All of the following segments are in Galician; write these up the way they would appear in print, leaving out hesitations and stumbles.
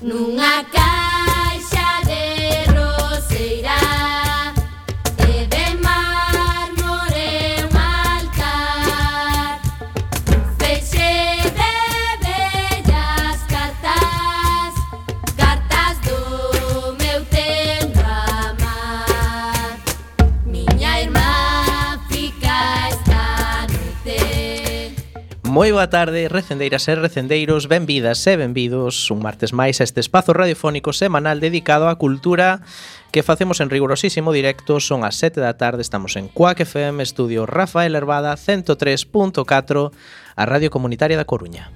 Nunha caixa de roseira e de mármore un altar, un feixe de bellas cartas, cartas do meu tempo amar. Miña irmá fica esta noite. Moi boa tarde, recendeiras e recendeiros, benvidas e benvidos un martes máis a este espazo radiofónico semanal dedicado á cultura que facemos en rigorosísimo directo. Son as 7 da tarde, estamos en Cuac FM, estudio Rafael Herbada, 103.4, a Radio Comunitaria da Coruña.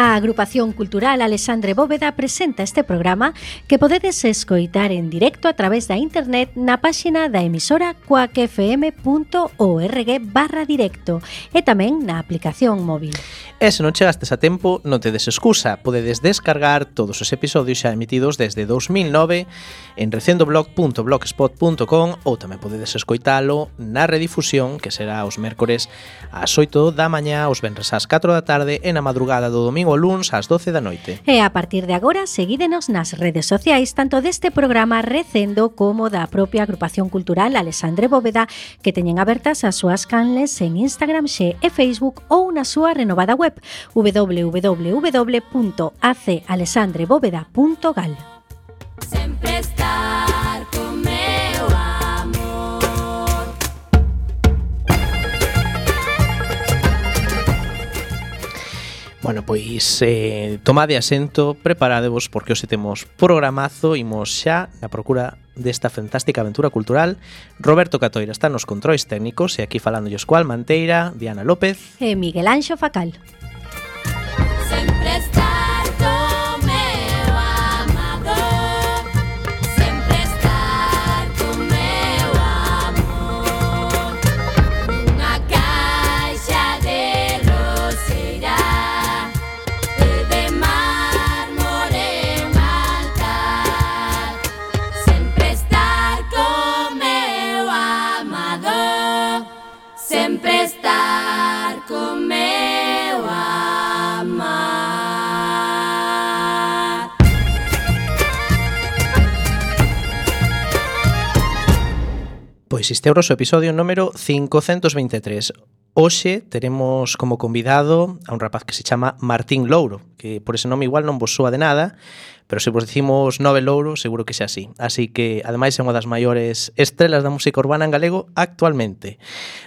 A Agrupación Cultural Alexandre Bóveda presenta este programa que podedes escoitar en directo a través da internet na páxina da emisora cuacfm.org/directo e tamén na aplicación móvil. E se non chegastes a tempo, non tedes excusa, podedes descargar todos os episodios xa emitidos desde 2009 en recendoblog.blogspot.com ou tamén podedes escoitalo na redifusión, que será os mércores ás 8 da mañá, os venres ás 4 da tarde e na madrugada do domingo ao luns ás 12 da noite. E a partir de agora, seguídenos nas redes sociais, tanto deste programa Recendo como da propia Agrupación Cultural Alexandre Bóveda, que teñen abertas as súas canles en Instagram, Xe e Facebook ou na súa renovada web www.acalexandrebóveda.gal. Sempre estar con meu amor. Bueno, pois tomade asento, preparadevos porque hoxe temos programazo, imos xa na procura desta fantástica aventura cultural. Roberto Catoira está nos controis técnicos e aquí falándolles coa Almanteira, Diana López E Miguel Anxo Facal. Sempre estar con meu amado. Sempre estar con meu amor. Nunha caixa de roseira e de mármore un altar. Sempre estar con meu amado. Sempre estar con meu amar. Pois este é o noso episodio número 523. Hoxe teremos como convidado a un rapaz que se chama Martín Louro, que por ese nome igual non vos soa de nada, pero se vos dicimos Nove Louro, seguro que xa así. Así que, ademais, é unha das maiores estrelas da música urbana en galego actualmente.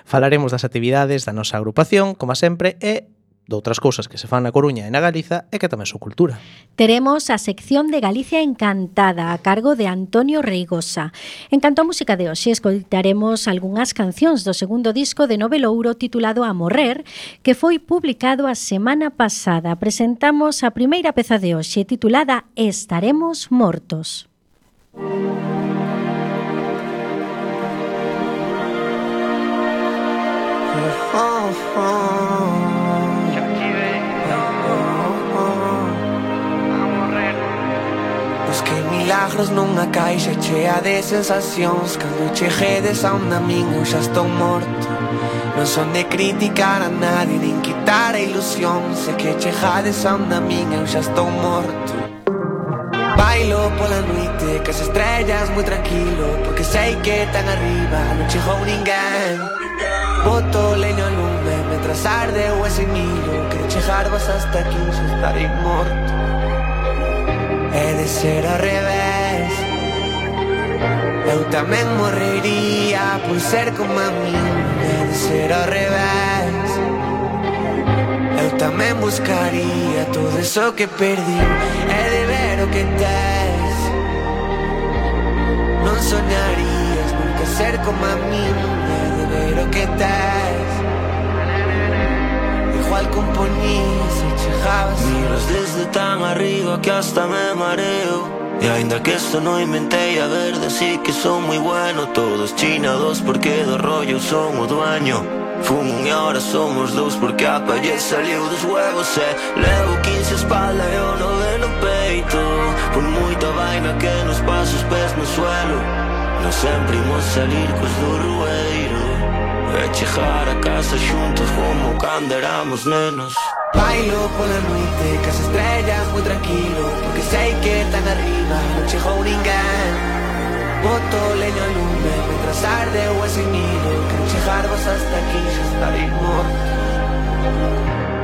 Falaremos das actividades da nosa agrupación, como sempre, e de outras cousas que se fan na Coruña e na Galiza e que tamén son cultura. Teremos a sección de Galicia Encantada a cargo de Antonio Reigosa. En canto a música de hoxe, escoitaremos algunhas cancións do segundo disco de Nove Louro titulado A Morrer, que foi publicado a semana pasada. Presentamos a primeira peza de hoxe titulada Estaremos Mortos. Busquei milagros nunha caixa chea de sensacións. Cando cheguedes a onde a min eu xa estou morto. Non son de criticar a nadie, nin quitar a ilusión. Sei que chegades a onde a min eu xa estou morto. Bailo pola noite cas estrellas moi tranquilo, porque sei que tan arriba non chegou ninguén. Boto leño ao lume mentras arde o ese miro. Que chegarvas hasta aquí xa estarei morto. É de ser ao revés. Eu tamén morrería por ser como a min. É de ser ao revés. Eu tamén buscaría todo eso que perdí. É de ver o que tes. Non soñarías nunca ser como a min. É de ver o que tes. Igual compoñías e chegabas. Miras desde tan arriba que hasta me mareo. E ainda que esto no inventei a verde, sí que son moi bueno. Todos chinados porque do rollo son o dueño. Fumo e ahora somos dous porque a palle saliu dos huevos. E levo 15 a espalda e o 9 no peito. Por moita vaina que nos pasa os pés no suelo. Non sempre imos salir cos do rueiro. E chegar a casa xuntos como cando éramos nenos. Bailo pola noite, que as estrellas moi tranquilo, porque sei que tan arriba non chegou ninguén. Boto leño ao lume, mentras arde o ese miro, quero chegarvos hasta aquí, xa estarei morto.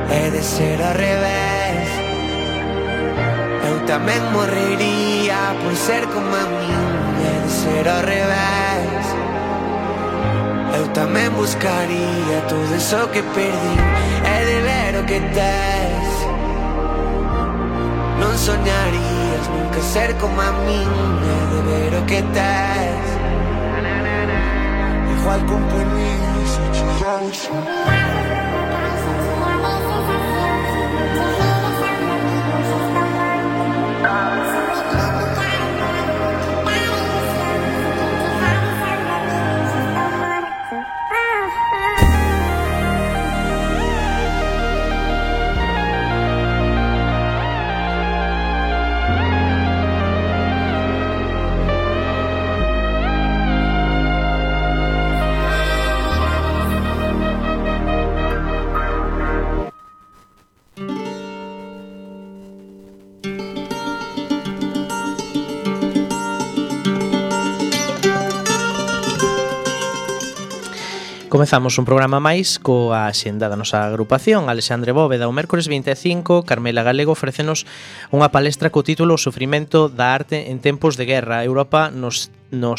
É de ser ao revés, eu tamén morrería por ser como a min. É de ser ao revés, eu tamén buscaría todo eso que perdí. É de ver o que tes, non soñarías nunca ser como a min. É de ver o que tes, igual compañía se chegamos. Comezamos un programa máis coa axenda da nosa agrupación. Alexandre Bóveda, o mércores 25, Carmela Galego ofrécenos unha palestra co título O sufrimento da arte en tempos de guerra, Europa nos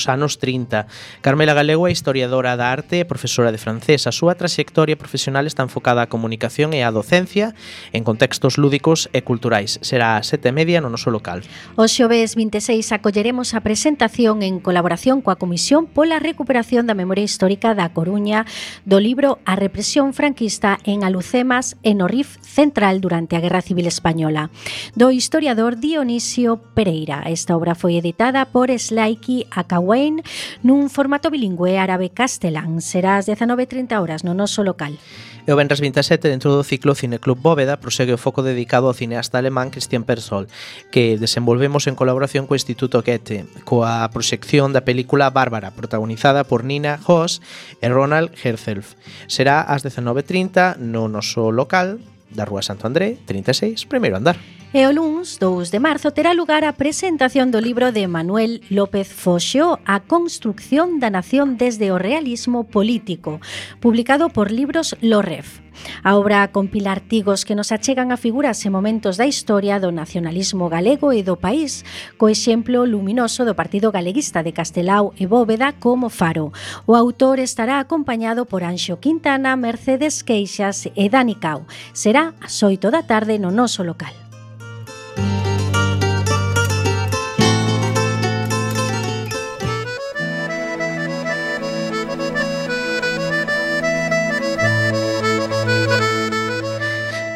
anos 30. Carmela Galego é historiadora da arte e profesora de francés. A súa traxectoria profesional está enfocada á comunicación e á docencia en contextos lúdicos e culturais. Será a 7:30 no noso local. O xoves 26 acolleremos a presentación en colaboración coa Comisión pola Recuperación da Memoria Histórica da Coruña do libro A represión franquista en Alucemas e no Rif Central durante a Guerra Civil Española, do historiador Dionisio Pereira. Esta obra foi editada por Slaiki Akawain nun formato bilingüe árabe-castelán. Será ás 19:30 no noso local. E o venres 27, dentro do ciclo Cineclub Bóveda, prosegue o foco dedicado ao cineasta alemán Christian Petzold, que desenvolvemos en colaboración co Instituto Goethe, coa proxección da película Bárbara, protagonizada por Nina Hoss e Ronald Herzfeld. Será ás 19:30 no noso local da Rúa Santo André, 36, primeiro andar. E o luns 2 de marzo terá lugar a presentación do libro de Manuel López Foxo, A construcción da nación desde o realismo político, publicado por Libros Lorref. A obra compila artigos que nos achegan a figuras e momentos da historia do nacionalismo galego e do país, co exemplo luminoso do Partido Galeguista de Castelao e Bóveda como faro. O autor estará acompañado por Anxo Quintana, Mercedes Queixas e Dani Cao. Será ás 8 da tarde no noso local.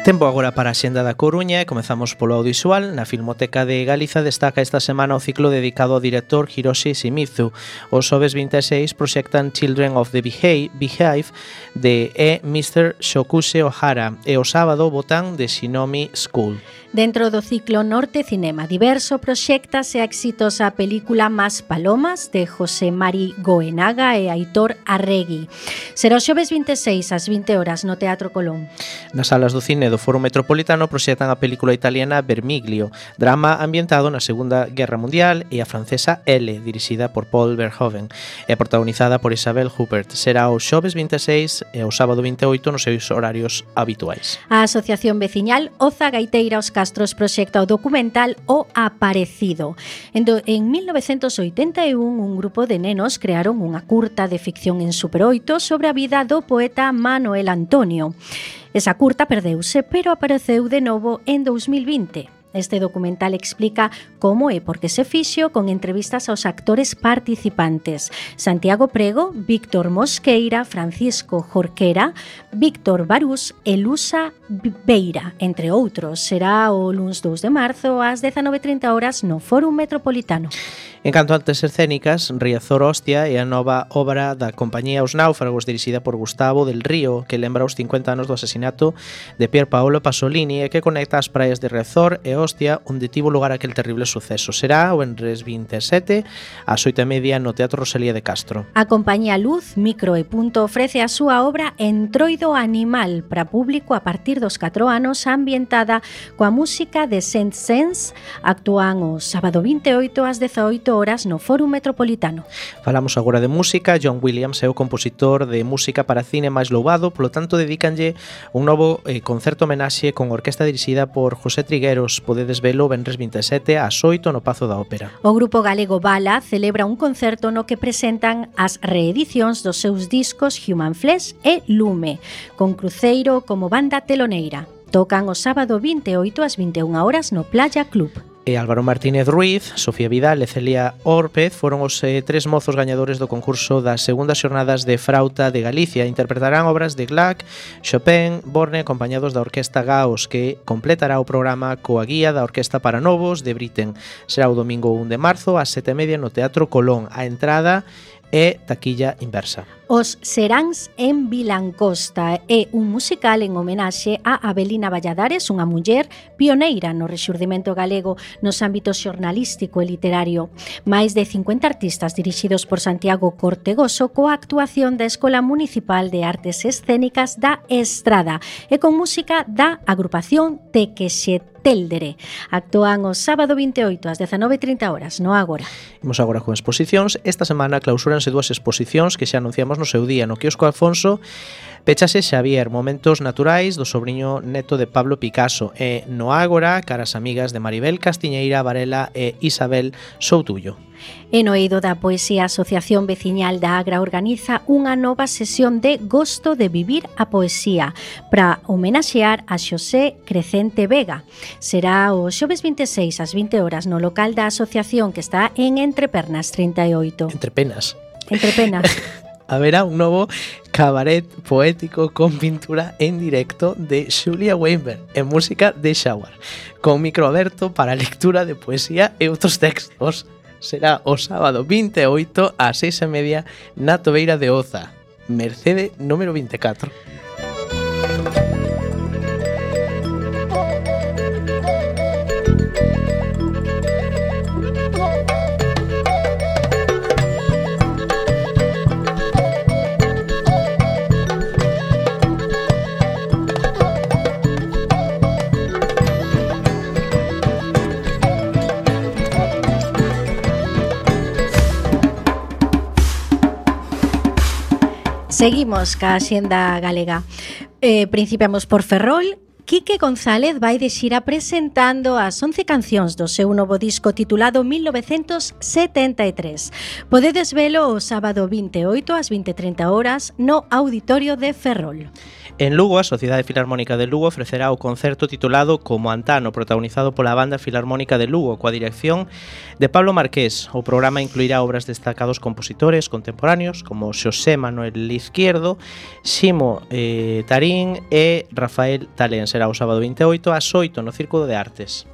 Tempo agora para a xenda da Coruña e comezamos polo audiovisual. Na Filmoteca de Galiza destaca esta semana o ciclo dedicado ao director Hiroshi Shimizu. Os xoves 26 proxectan Children of the Beehive de Mr. Shokuse Ohara e o sábado botan de Shinomi School. Dentro do ciclo Norte Cinema Diverso proxéctase a exitosa película Más Palomas de José Mari Goenaga e Aitor Arregui. Será o xoves 26 ás 20 no Teatro Colón. Nas salas do cine do Foro Metropolitano proxectan a película italiana Vermiglio, drama ambientado na Segunda Guerra Mundial, e a francesa L, dirixida por Paul Verhoeven e protagonizada por Isabel Huppert. Será o xoves 26 e o sábado 28 nos seus horarios habituais. A Asociación Veciñal Oza Gaiteira Os Castros proxecta o documental O Aparecido. En 1981, un grupo de nenos crearon unha curta de ficción en Super 8 sobre a vida do poeta Manuel Antonio. Esa curta perdeuse, pero apareceu de novo en 2020. Este documental explica como e por que se fixo, con entrevistas aos actores participantes: Santiago Prego, Víctor Mosqueira, Francisco Jorquera, Víctor Barús e Lusa Beira, entre outros. Será o luns 2 de marzo ás 19:30 no Fórum Metropolitano. En canto a artes escénicas, Riazor Hostia é a nova obra da compañía Os Náufragos, dirixida por Gustavo del Río, que lembra os 50 anos do asesinato de Pier Paolo Pasolini e que conecta as praias de Riazor e os Donostia, onde tivo lugar aquel terrible suceso. Será o venres 27 ás 8:30 no Teatro Rosalía de Castro. A compañía Luz, Micro e Punto ofrece a súa obra Entroido Animal para público a partir dos 4 anos, ambientada coa música de Saint-Saëns. Actúan o sábado 28 ás 18 horas no Fórum Metropolitano. Falamos agora de música. John Williams é o compositor de música para cine máis louvado, polo tanto dedícanlle un novo concerto homenaxe con orquesta dirixida por José Trigueros. Podedes velo o venres 27 ás 8 no Pazo da Ópera. O grupo galego Bala celebra un concerto no que presentan as reedicións dos seus discos Human Flesh e Lume, con Cruceiro como banda teloneira. Tocan o sábado 28 ás 21 horas no Playa Club. E Álvaro Martínez Ruiz, Sofía Vidal e Celia Órpez foron os tres mozos gañadores do concurso das segundas xornadas de Frauta de Galicia. Interpretarán obras de Gluck, Chopin, Borne, acompañados da Orquesta Gaos, que completará o programa coa guía da Orquesta para Novos de Britten. Será o domingo 1 de marzo ás 7:30 no Teatro Colón. A entrada é taquilla inversa. Os Seráns en Vilancosta é un musical en homenaxe a Abelina Valladares, unha muller pioneira no rexurdimento galego nos ámbitos xornalístico e literario. Máis de 50 artistas dirixidos por Santiago Cortegoso coa actuación da Escola Municipal de Artes Escénicas da Estrada e con música da agrupación Tequexetéldere. Actúan o sábado 28 ás 19:30 horas no Ágora. Imos agora con exposicións. Esta semana clausúranse dúas exposicións que xa anunciamos no seu día. No quiosco Alfonso pechase Xavier, Momentos Naturais do sobriño neto de Pablo Picasso, e no Ágora, Caras Amigas de Maribel Castiñeira Varela e Isabel Soutullo. E no eido da poesía, a Asociación Veciñal da Agra organiza unha nova sesión de Gosto de Vivir a Poesía para homenaxear a Xosé Crecente Vega. Será o xoves 26 ás 20 horas no local da asociación que está en Entrepernas 38. Entrepenas. Entrepenas. Haberá un novo cabaret poético con pintura en directo de Xulia Weinberg e música de Shower, con micro aberto para lectura de poesía e outros textos. Será o sábado 28 ás 6:30 na Tobeira de Oza, Mercede número 24. Seguimos ca Axenda Galega. Principiamos por Ferrol. Quique González vai de xira presentando as 11 cancións do seu novo disco titulado 1973. Podedes velo o sábado 28 ás 20:30 horas no Auditorio de Ferrol. En Lugo, a Sociedade Filarmónica de Lugo ofrecerá o concerto titulado Como Antano, protagonizado pola Banda Filarmónica de Lugo, coa dirección de Pablo Marqués. O programa incluirá obras de destacados compositores contemporáneos como Xosé Manuel Izquierdo, Ximo Tarín e Rafael Talén. Será o sábado 28 ás 8 no Círculo de Artes.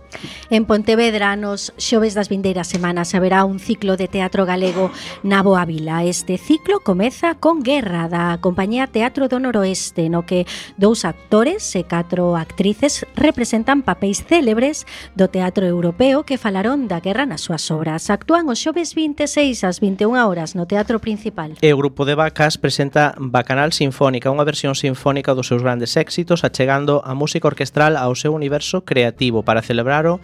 En Pontevedra, nos xoves das vindeiras semanas, haberá un ciclo de teatro galego na Boa Vila. Este ciclo comeza con Guerra, da compañía Teatro do Noroeste, no que 2 actores e 4 actrices representan papéis célebres do teatro europeo que falaron da guerra nas súas obras. Actúan os xoves 26 ás 21 horas no Teatro Principal. E o grupo de Vacas presenta Bacanal Sinfónica, unha versión sinfónica dos seus grandes éxitos, achegando a música orquestral ao seu universo creativo para celebrar o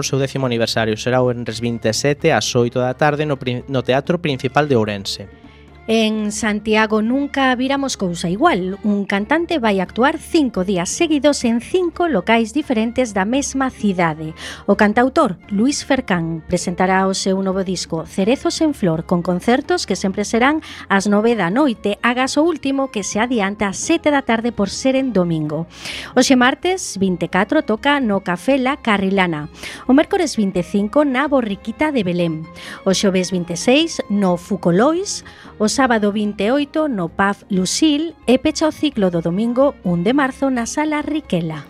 seu 10º aniversario. Será o venres 27 ás 8 da tarde no Teatro Principal de Ourense. En Santiago nunca viramos cousa igual. Un cantante vai actuar 5 días seguidos en 5 locais diferentes da mesma cidade. O cantautor Luis Fercán presentará o seu novo disco Cerezos en Flor, con concertos que sempre serán ás 9 da noite, agas o último que se adianta ás 7 da tarde por ser en domingo. Hoxe martes 24 toca no Café La Carrilana. O mércores 25 na Borriquita de Belém. O xoves 26 no Fucolois. O sábado 28 no Pub Lucille e pecha o ciclo do domingo 1 de marzo na Sala Riquela.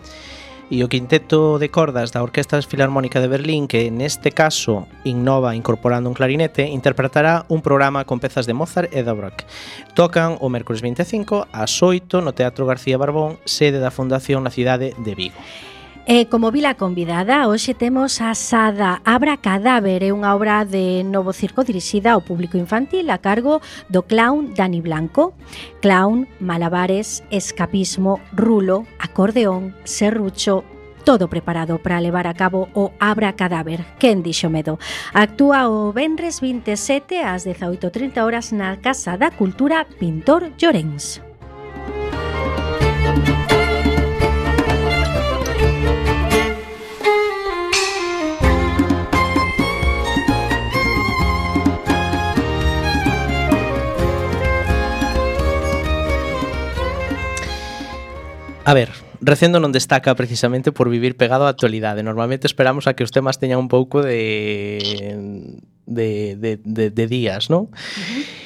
E o quinteto de cordas da Orquesta Filarmónica de Berlín, que neste caso innova incorporando un clarinete, interpretará un programa con pezas de Mozart e Dvorak. Tocan o mércores 25 ás 8 no Teatro García Barbón, sede da Fundación na cidade de Vigo. E como vila convidada, hoxe temos a Sada Abra Cadáver, é unha obra de Novo Circo dirixida ao público infantil a cargo do clown Dani Blanco. Clown, malabares, escapismo, rulo, acordeón, serrucho, todo preparado para levar a cabo o Abra Cadáver. Quen dixo medo? Actúa o venres 27 ás 18:30 horas na Casa da Cultura Pintor Llorens. A ver, Recendo non destaca precisamente por vivir pegado á actualidade. Normalmente esperamos a que os temas teñan un pouco de días, non?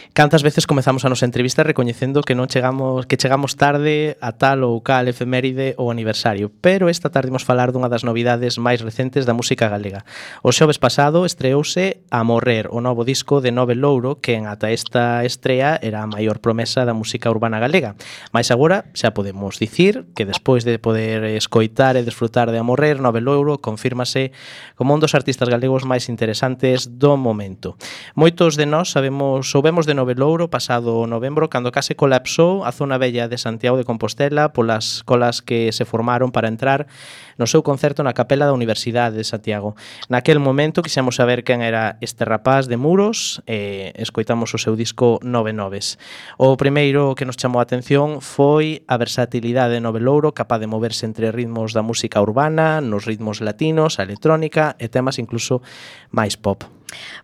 Cantas veces comezamos a nosa entrevista recoñecendo que chegamos tarde a tal ou cal efeméride ou aniversario, pero esta tarde imos falar dunha das novidades máis recentes da música galega. O xoves pasado estreouse A Morrer, o novo disco de Nove Louro, que ata esta estrea era a maior promesa da música urbana galega. Mais agora xa podemos dicir que despois de poder escoitar e desfrutar de A Morrer, Nove Louro confírmase como un dos artistas galegos máis interesantes do momento. Moitos de nós soubemos de Nove Louro pasado novembro, cando case colapsou a zona bella de Santiago de Compostela polas colas que se formaron para entrar no seu concerto na capela da Universidade de Santiago. Naquel momento quixemos saber quen era este rapaz de Muros e escoitamos o seu disco Nove Noves. O primeiro que nos chamou a atención foi a versatilidade de Nove Louro, capaz de moverse entre ritmos da música urbana, nos ritmos latinos, a electrónica e temas incluso máis pop.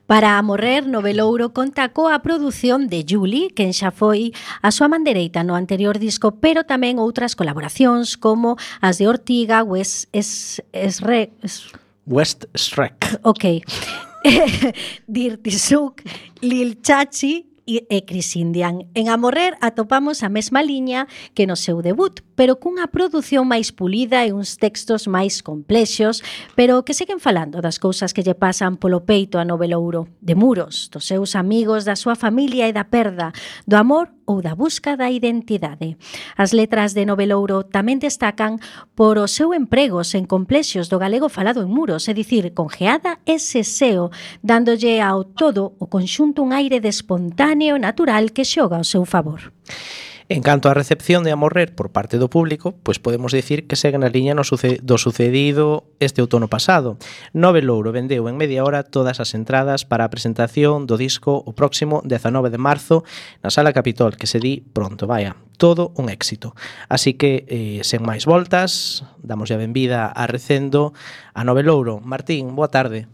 Para A Morrer, Nove Louro conta coa produción de Juli, quen xa foi a súa man dereita no anterior disco, pero tamén outras colaboracións como as de Ortiga, West Shrek. Ok. Dirty Souk, Lil Chachi e Chris Indian. En A Morrer atopamos a mesma liña que no seu debut, pero cunha produción máis pulida e uns textos máis complexos, pero que seguen falando das cousas que lle pasan polo peito a Nove Louro, de Muros, dos seus amigos, da súa familia e da perda, do amor ou da busca da identidade. As letras de Nove Louro tamén destacan por o seu emprego sen complexos do galego falado en Muros, é dicir, con geada e seseo, dándolle ao todo o conxunto un aire de espontáneo natural que xoga ao seu favor. En canto á recepción de A Morrer por parte do público, pois podemos dicir que segue na liña do sucedido este outono pasado. Nove Louro vendeu en media hora todas as entradas para a presentación do disco o próximo 19 de marzo na Sala Capitol, que se di pronto, vaya, todo un éxito. Así que, sen máis voltas, damos a benvida a Recendo a Nove Louro. Martín, boa tarde.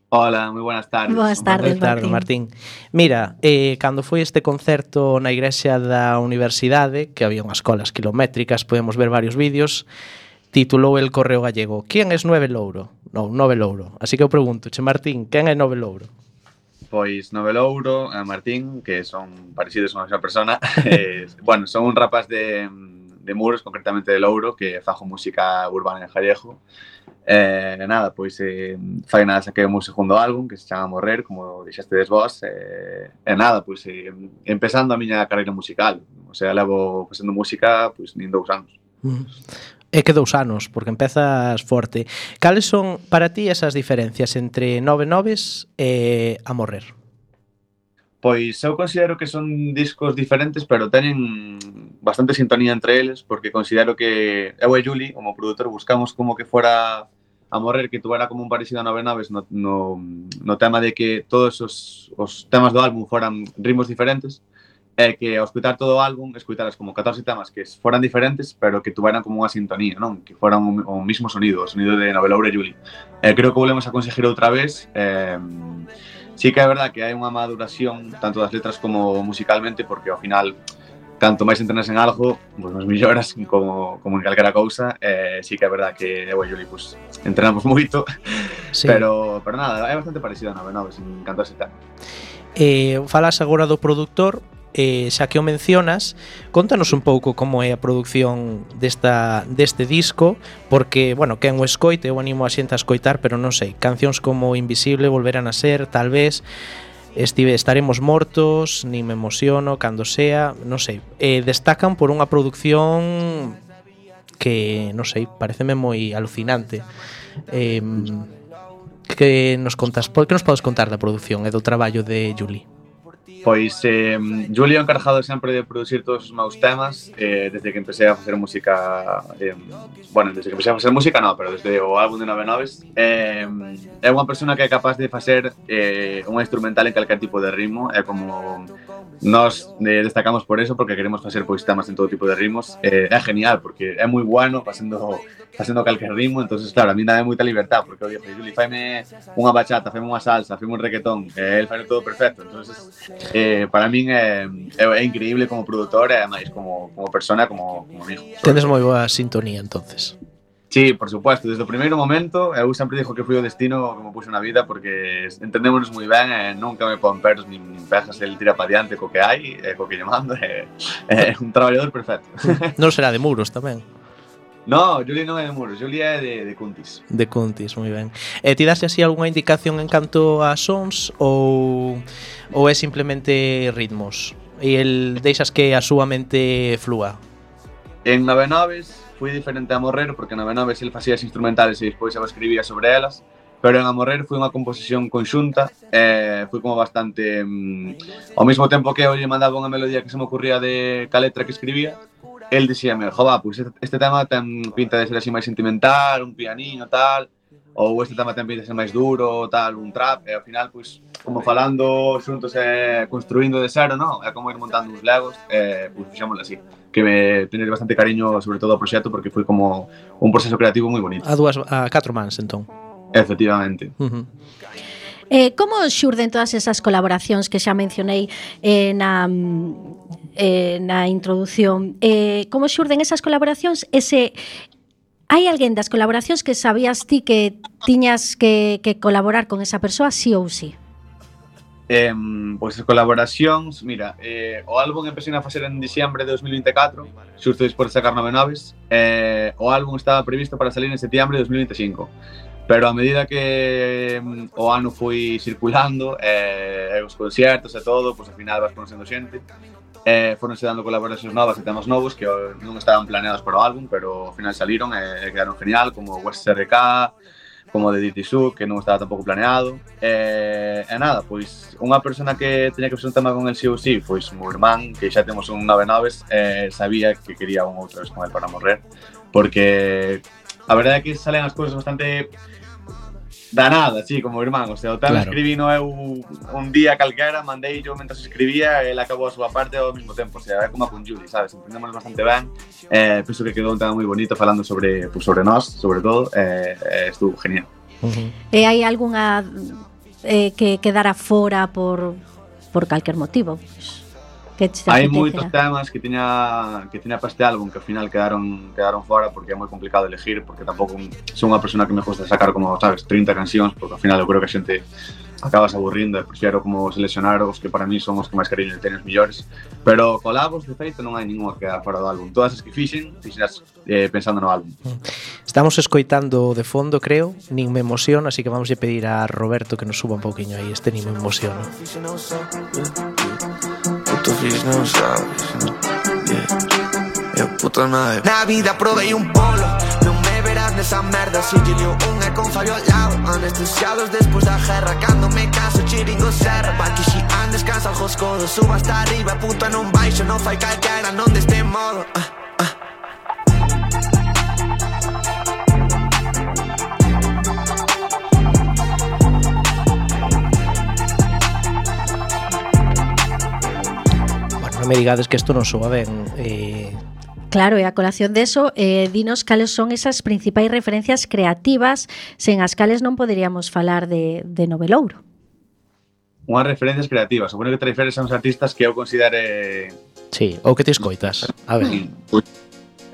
Hola, moi buenas tardes. Boas tardes, Martín. Mira, cando foi este concerto na igrexa da Universidade, que había unhas colas kilométricas, podemos ver varios vídeos, titulou El Correo Gallego: ¿Quién es Nove Louro? Non, Nove Louro. Así que eu pregunto, Martín, quen é Nove Louro? Pois Nove Louro e Martín, que son parecidos a unha mesma persona, bueno, son un rapaz de Muros, concretamente de Louro, que fajo música urbana en gallego. Nada, pois fai nada saquei o meu segundo álbum que se chama Morrer, como dixestedes vos, nada, pois empezando a miña carreira musical, o sea, levo facendo música pois nin 2 anos. É que 2 anos, porque empezas forte. Cales son para ti esas diferencias entre Nove Noves e A Morrer? Pois eu considero que son discos diferentes, pero teñen bastante sintonía entre eles, porque considero que eu e Juli, como produtor, buscamos como que fora A Morrer, que tuvera como un parecido a Nove Noves no tema de que todos os temas do álbum foran ritmos diferentes, e que ao escutar todo o álbum, escuitaras como 14 temas que foran diferentes, pero que tuveran como unha sintonía, non? Que foran o mismo sonido, o sonido de Nove Louro e Juli. Creo que volvemos a conseguir outra vez. Sí que é verdad que hai unha maduración tanto das letras como musicalmente, porque ao final canto máis entrenas en algo, pois nos melloras como en calquera cousa. Sí que é verdad que eu e Juli pues, entrenamos moito, sí. pero nada, é bastante parecido a Nove Noves en canto a ese tema. Falas agora do produtor, xa que o mencionas, contanos un pouco como é a produción deste disco, porque, bueno, quen o escoite, eu animo a xente a escoitar, pero non sei, cancións como Invisible, Volverán a ser, tal vez, Estaremos mortos, Nin me emociono, Cando sea, non sei, destacan por unha produción que, non sei, pareceme moi alucinante. Que nos contas, por que nos podes contar da produción e do traballo de Juli? Pois Juli é encargado sempre de producir todos os meus temas desde que empecé a facer música bueno, desde que empecé a facer música non, pero desde o álbum de 99 é unha persona que é capaz de facer unha instrumental en calquer tipo de ritmo, é como nós destacamos por eso, porque queremos facer pois temas en todo tipo de ritmos. É genial porque é moi bueno facendo calquer ritmo, entonces claro, a mí dame moita libertad, porque eu digo, Juli, faime unha bachata, faime unha salsa, faime un reggaetón, el fai todo perfecto, entonces para min é increíble como produtor e ademais como persona, como amigo. Tendes moi boa sintonía entonces. Sí, por supuesto, desde o primeiro momento eu sempre dixo que foi o destino que me puxo na vida, porque entendémonos moi ben e nunca me pon peros nin pejas, el tira pa diante co que hai, co que lle mando, é un traballador perfecto. Non será de Muros tamén? No, Juli non é de Muros, Juli é de Cuntis. De Cuntis, moi ben. Ti daste así algunha indicación en canto a sons ou é simplemente ritmos? E el deixas que a súa mente flúa? En 99 fui diferente a Morrer, porque en 99 el facía as instrumentales e despois eu escribía sobre elas, pero en A Morrer foi unha composición conxunta, foi como bastante ao mesmo tempo que eu lle mandaba unha melodía que se me ocurría de ca letra que escribía, el dixíame, jova, pois este tema ten pinta de ser así máis sentimental, un pianiño, tal, ou este tema ten pinta de ser máis duro, tal, un trap, e ao final, pois, como falando xuntos e construindo de cero, non? É como ir montando uns legos, pois fixámoslo así, que me teñe bastante cariño, sobre todo ao proxecto, porque foi como un proceso creativo moi bonito. A 4 mans, entón. Efectivamente. Como xurden todas esas colaboracións que xa mencionei na introdución? Como xurden esas colaboracións? Hai alguén das colaboracións que sabías ti que tiñas que colaborar con esa persoa, sí ou sí? Pois as colaboracións, mira, o álbum empecé a facer en diciembre de 2024, xusto despois de sacar 99, o álbum estaba previsto para salir en septiembre de 2025. Pero a medida que o ano foi circulando, os concertos e todo, pois ao final vas conocendo xente, foronse dando colaboracións novas e temas novos que non estaban planeados para o álbum, pero ao final saliron e quedaron genial, como West SRK, como de Dirty Soup, que non estaba tampouco planeado. E nada, pois unha persona que teña que facer un tema con el sí ou sí, pois o meu irmán, que xa temos un 99, sabía que quería un outra vez con el para Morrer, porque a verdade é que salen as cousas bastante da nada, sí, como irmán, o sea, o tema claro. Escribí no eu un día calquera, mandei yo mentras escribía e ele acabou a súa parte ao mesmo tempo, o sea, é como con Juli, sabes, entendemos bastante ben, penso que quedou un tema moi bonito falando sobre, pues, sobre nós, sobre todo, estuvo genial. E hai algunha que quedara fora por calquer motivo? Hai moitos temas que tiña para este álbum que ao final quedaron fora porque é moi complicado elegir, porque tampouco son unha persona que me gusta sacar como, sabes, 30 cancións, porque ao final eu creo que a xente acabas aburrindo e prefiero como seleccionar os que para mí son os que máis cariño teñen os millores, pero colabos de feito non hai ninguna que queda fora do álbum, todas as que fixeras pensando no álbum. Estamos escoitando de fondo, creo, Nin me emociona, así que vamos a pedir a Roberto que nos suba un pouquiño aí este Nin me emociona. Non sabes, yeah. Puta nave. Na vida provei un polo, non me verás nesa merda. Si lle liou un e con fallo ao lado, anestesiados despois da guerra. Cando me canso chiringo serra, pa que si andes cansa os codos. Suba hasta arriba, puta non baixo, non fai calquera, non deste modo. Me digades que isto non soa ben. Claro, e a colación deso, dinos cales son esas principais referencias creativas sen as cales non poderíamos falar de Novelouro. Unhas referencias creativas, supoño que te referes a uns artistas que eu considere... Sí, ou que te escoitas. A ver.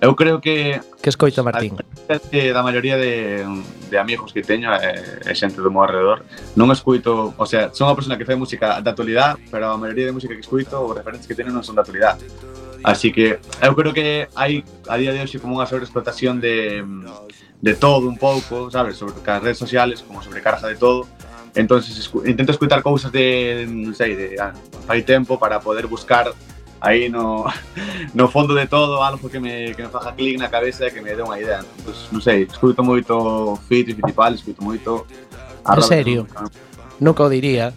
Eu creo que... Que escoita Martín? Da maioría de amigos que teño e xente do meu alrededor, non escoito, o sea, son unha persona que fai música da actualidade, pero a maioría de música que escoito, os referentes que teño non son da actualidade. Así que eu creo que hai a día de hoxe como unha sobreexplotación de todo un pouco, sabes, sobre as redes sociales, como sobrecarga de todo. Entonces intento escoitar cousas de, non sei, de fai tempo para poder buscar aí no fondo de todo algo que me faga clic na cabeza e que me dé unha idea. Pues, non sei, escuto moito Fito e Fittipaldi, escuto moito a En Robert serio? Nunca o diría.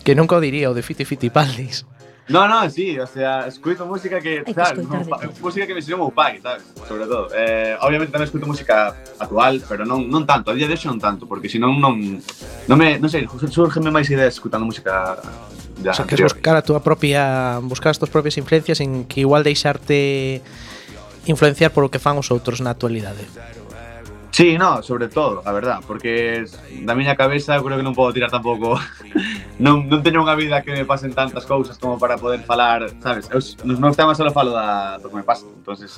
Que nunca o diría o de Fito e Fittipaldis. No, sí, o sea, escuto música que, Hai que sabes, escoitar de todo. música que me ensinou meu pai, sabes, sobre todo. Obviamente tamén escuto música actual, pero non tanto, a día de hoxe non tanto, porque senón non sei, surgenme máis ideas escutando música O sea, que es buscar as túas propias influencias en que igual deixarte influenciar por o que fan os outros na actualidade. Sí, no, sobre todo, a verdad, porque da miña cabeza eu creo que non podo tirar tampouco non teño unha vida que me pasen tantas cousas como para poder falar, sabes? Nos meus temas só falo do que me pasa, entonces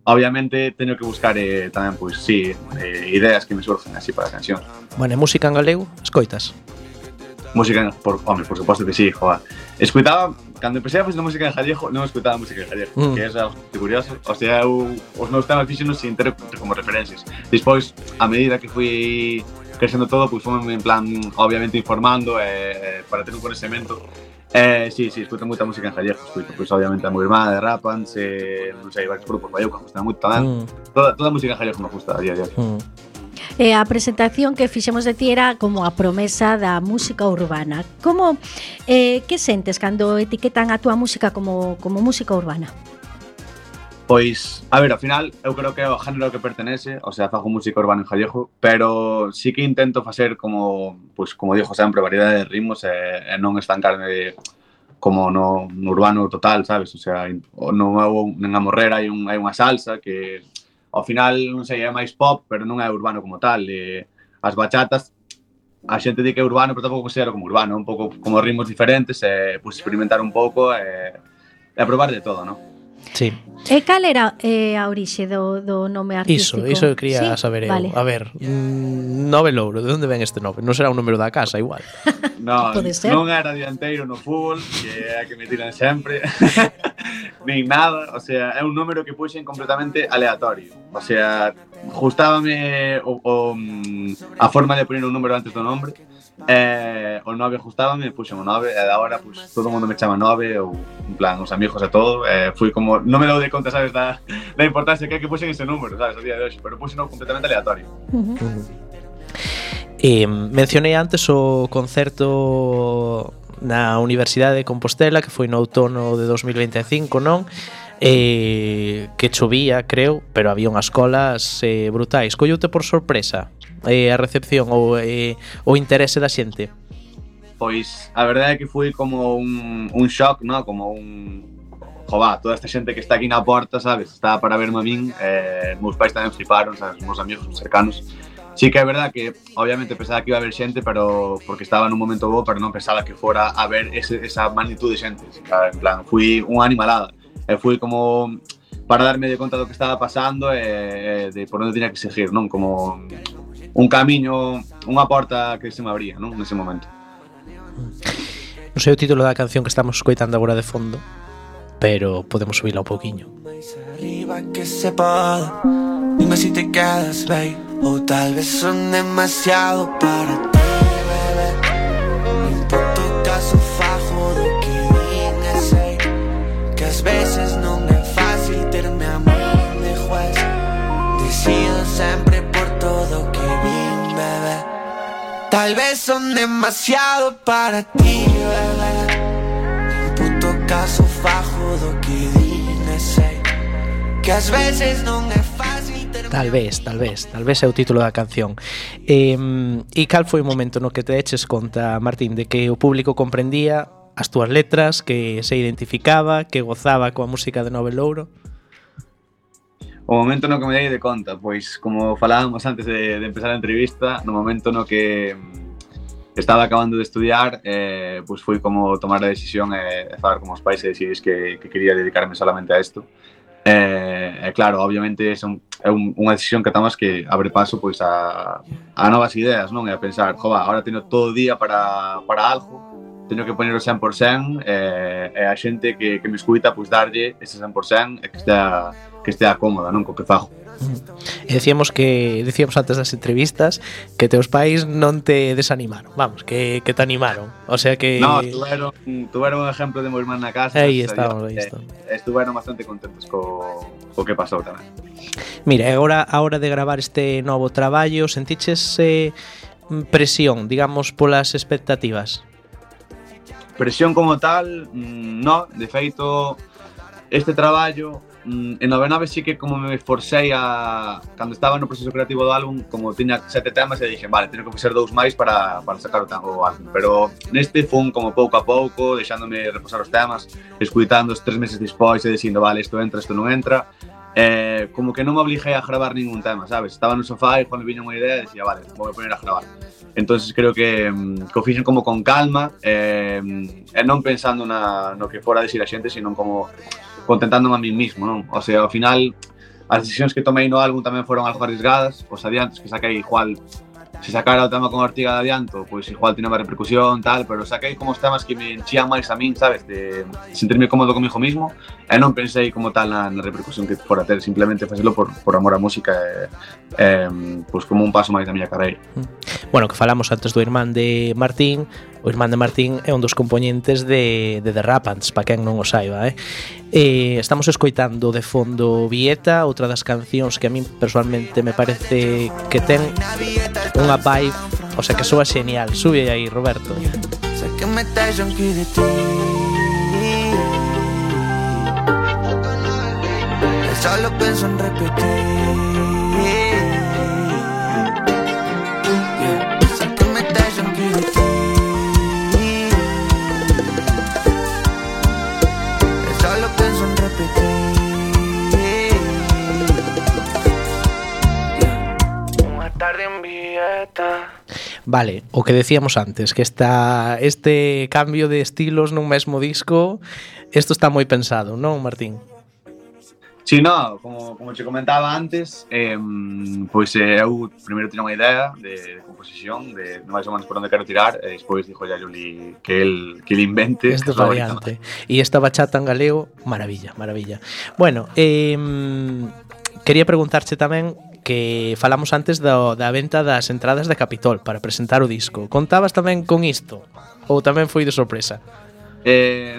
obviamente teño que buscar tamén, pois, sí, ideas que me surgen así para a canción. Bueno, e música en galego, escoitas? Música, por suposto que sí, joa. Escuitaba, cando empecé a facer música en gallego, non escuitaba música en gallego, que é algo curioso. O sea, os meus temas fixenos sin ter como referencias. Despois, a medida que fui crecendo todo, pois fome en plan, obviamente, informando para ter un conhecimento. Sí, escuto moita música en gallego, escuto, pois, obviamente, a Muirmá, de Rapans, non sei, varios grupos, Bayouca, gusta moito tamén. Toda a música en gallego me gusta a día de hoy. A presentación que fixemos de ti era como a promesa da música urbana. Como, que sentes cando etiquetan a túa música como música urbana? Pois, a ver, ao final, eu creo que é o género que pertenece, o sea, fago música urbana en gallego, pero sí que intento facer como, pois, como dixo sempre, variedade de ritmos e non estancarme como no urbano total, sabes? O sea, en Amorrer hai unha salsa que ao final, non sei, é máis pop, pero non é urbano como tal. As bachatas, a xente di que é urbano, pero tampouco considero como urbano, un pouco como ritmos diferentes, pois experimentar un pouco e probar de todo, non? Sí. E cal era a orixe do nome artístico? Iso eu quería saber eu. Vale. A ver, Nove Louro, de onde ven este nome? Non será un número da casa, igual. Non, Pode ser. non era dianteiro no fútbol, que é a que me tiran sempre, nin nada, o sea, é un número que puxen completamente aleatorio. O sea, gustábame a forma de poner un número antes do nombre, o 9 gustábame, puxen o 9, e agora pues, todo o mundo me chama 9, ou en plan, os amigos e todo, fui como, non me dou de conta, sabes, da importancia que hai que puxen ese número, sabes, a día de hoxe, pero puxen completamente aleatorio. Mencionei antes o concerto na Universidade de Compostela que foi no outono de 2025, non? Que chovía, creo, pero había unhas colas brutais. Colloute por sorpresa a recepción ou o interese da xente? Pois a verdade é que foi como un shock, ¿no? Como Jová, toda esta xente que está aquí na porta, sabes? Está para verme a min, meus pais tamén fliparon, sabes? Meus amigos cercanos. Sí que é verdad que, obviamente, pensaba que iba a haber xente, pero porque estaba nun momento bo, pero non pensaba que fora a ver esa magnitud de xente. En plan, fui unha animalada. Fui como para darme de conta do que estaba pasando e de por onde tiña que seguir, non? Como un camiño, unha porta que se me abría, non? Nese momento. Non sei o título da canción que estamos escoitando agora de fondo, pero podemos subirla un pouquiño. Arriba que se poda, dime si te quedas, babe, ou tal vez son demasiado para ti, bebé. En todo caso fajo do que din e sei que ás veces non é fácil terme a min de juez. Decido sempre por todo o que vin, bebé. Tal vez son demasiado para ti, bebé. En puto caso fajo do que din e sei que ás veces non é fácil. Tal vez é o título da canción. E cal foi o momento no que te eches conta, Martín, de que o público comprendía as túas letras, que se identificaba, que gozaba coa música de Nove Louro? O momento no que me dei de conta, pois como falábamos antes de empezar a entrevista, no momento no que estaba acabando de estudiar, pois foi como tomar a decisión e falar con os pais e decidir que quería dedicarme solamente a isto. Claro, obviamente é unha decisión que tomamos que abre paso pois a novas ideas, non? E a pensar, jova, agora teño todo o día para algo, teño que poner o 100% e a xente que me escuita pois darlle ese 100% e que estea estea cómoda, non, co que fago. E decíamos antes das entrevistas que teus pais non te desanimaron, vamos, que te animaron. O sea que No, tuveron un ejemplo de meu irmán na casa. Aí estamos, aí estamos. Estuveron bastante contentos co que pasou tamén. Mira, agora a hora de gravar este novo traballo, sentiches presión, digamos, polas expectativas? Presión como tal, no, de feito, este traballo en 99 sí que como me esforcei cando estaba no proceso creativo do álbum, como tiña 7 temas e dixen, vale, teño que facer 2 máis para sacar o álbum, pero neste fun como pouco a pouco, deixándome reposar os temas, escuitando os 3 meses despois e dicindo, vale, isto entra, isto non entra, como que non me obliguei a gravar ningún tema, sabes? Estaba no sofá e cando viña unha idea dicía, vale, vou poner a gravar. Entonces creo que o fixen como con calma e non pensando no que fora a decir a xente, sino como contentándome a mí mismo, non? O sea, ao final, as decisións que tomei no álbum tamén foron algo arriesgadas, os adiantos que saquei igual, se sacara o tema con Ortiga de adianto, pois igual tiene máis repercusión, tal, pero saquei como os temas que me enchían máis a min, sabes, de sentirme cómodo comigo mismo, e non pensei como tal na repercusión que fora ter, simplemente facelo por amor á música pois como un paso máis da miña carreira. Bueno, que falamos antes do irmán de Martín. O irmán de Martín é un dos componentes de The Rapants, para quen non o saiba, estamos escoitando de fondo Vieta, outra das cancións que a min personalmente me parece que ten unha vibe, o sea, que soa genial. Sube aí, Roberto. Sé que me estás aquí de ti. Solo pienso en repetir. Sé que me estás aquí de ti. Solo pienso en repetir. Una tarde en Vieta. Vale, o que decíamos antes, que este cambio de estilos nun mesmo disco, isto está moi pensado, non, Martín? Sí, no, como te comentaba antes, pois eu primeiro tiña unha idea de composición, de máis ou menos por onde quero tirar, e despois dixo a Juli que el invente este variante. E esta bachata en galego, maravilla. Bueno, quería preguntarche tamén que falamos antes da venta das entradas de Capitol para presentar o disco. Contabas tamén con isto? Ou tamén foi de sorpresa?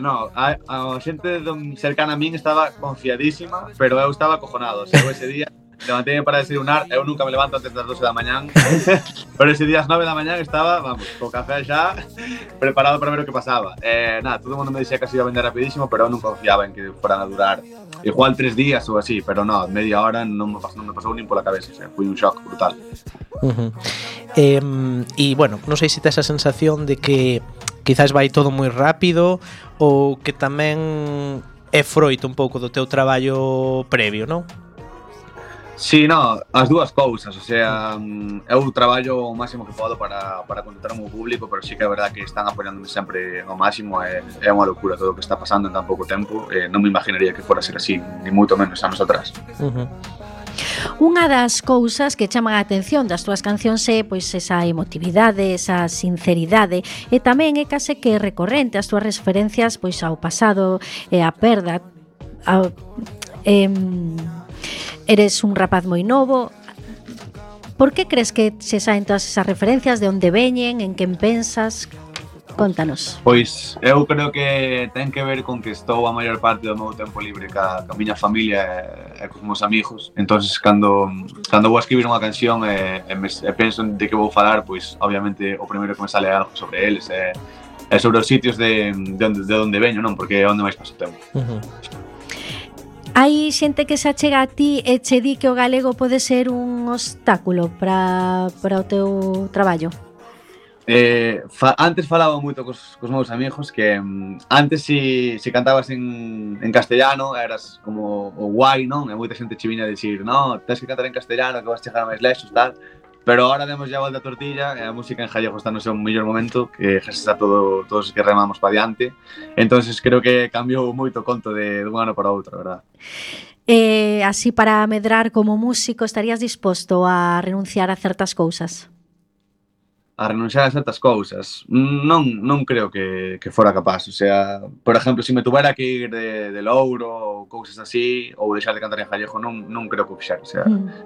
No, a xente cercana a min estaba confiadísima, pero eu estaba acojonado. O sea, ese día levantei para desayunar, eu nunca me levanto antes das 12 da mañán, pero ese día ás 9 da mañán estaba, vamos, co café xa, preparado para ver o que pasaba. Nada, todo o mundo me dixía que se iba a vender rapidísimo, pero eu non confiaba en que fueran a durar igual 3 días ou así, pero no, media hora non me pasou nin pola cabeza, o sea, foi un shock brutal. E bueno, non sei se tes a sensación de que quizás vai todo moi rápido ou que tamén é froito un pouco do teu traballo previo, non? Sí, no, as dúas cousas, o sea, eu traballo o máximo que podo para contentar o meu público, pero sí que é verdade que están apoiándome sempre ao máximo, é unha locura todo o que está pasando en tan pouco tempo, non me imaginaría que fora ser así, ni moito menos anos atrás. Unha das cousas que chaman a atención das túas cancións é pois esa emotividade, esa sinceridade, e tamén é case que recorrente as túas referencias pois ao pasado e á perda. Eres un rapaz moi novo. Por que crees que se saen todas esas referencias? De onde veñen? En quen pensas? Contanos. Pois eu creo que ten que ver con que estou a maior parte do meu tempo libre ca miña familia e cos meus amigos. Entonces, cando vou a escribir unha canción e penso de que vou falar, pois obviamente o primeiro que me sale é algo sobre eles e sobre os sitios de onde veño, non? Porque é onde máis paso tempo. Hai xente que se achega a ti e che di que o galego pode ser un obstáculo para o teu traballo? Antes falaba moito cos meus amigos que antes se cantabas en castellano eras como o guai, non? E moita xente che viña a dicir, no, tens que cantar en castellano que vas chegar máis lexos, tal. Pero ahora demos ya a volta a tortilla e a música en gallego está no seu mellor momento, que gracias a todos os que remamos para diante. Entonces creo que cambiou moito o conto de un ano para outro, verdad? Así para medrar como músico, estarías disposto a renunciar a certas cousas? renunciar a certas cousas. Non creo que fora capaz. O sea, por exemplo, se me tuvera que ir de Louro ou cousas así, ou deixar de cantar en gallego, non creo que o fixera. O sea,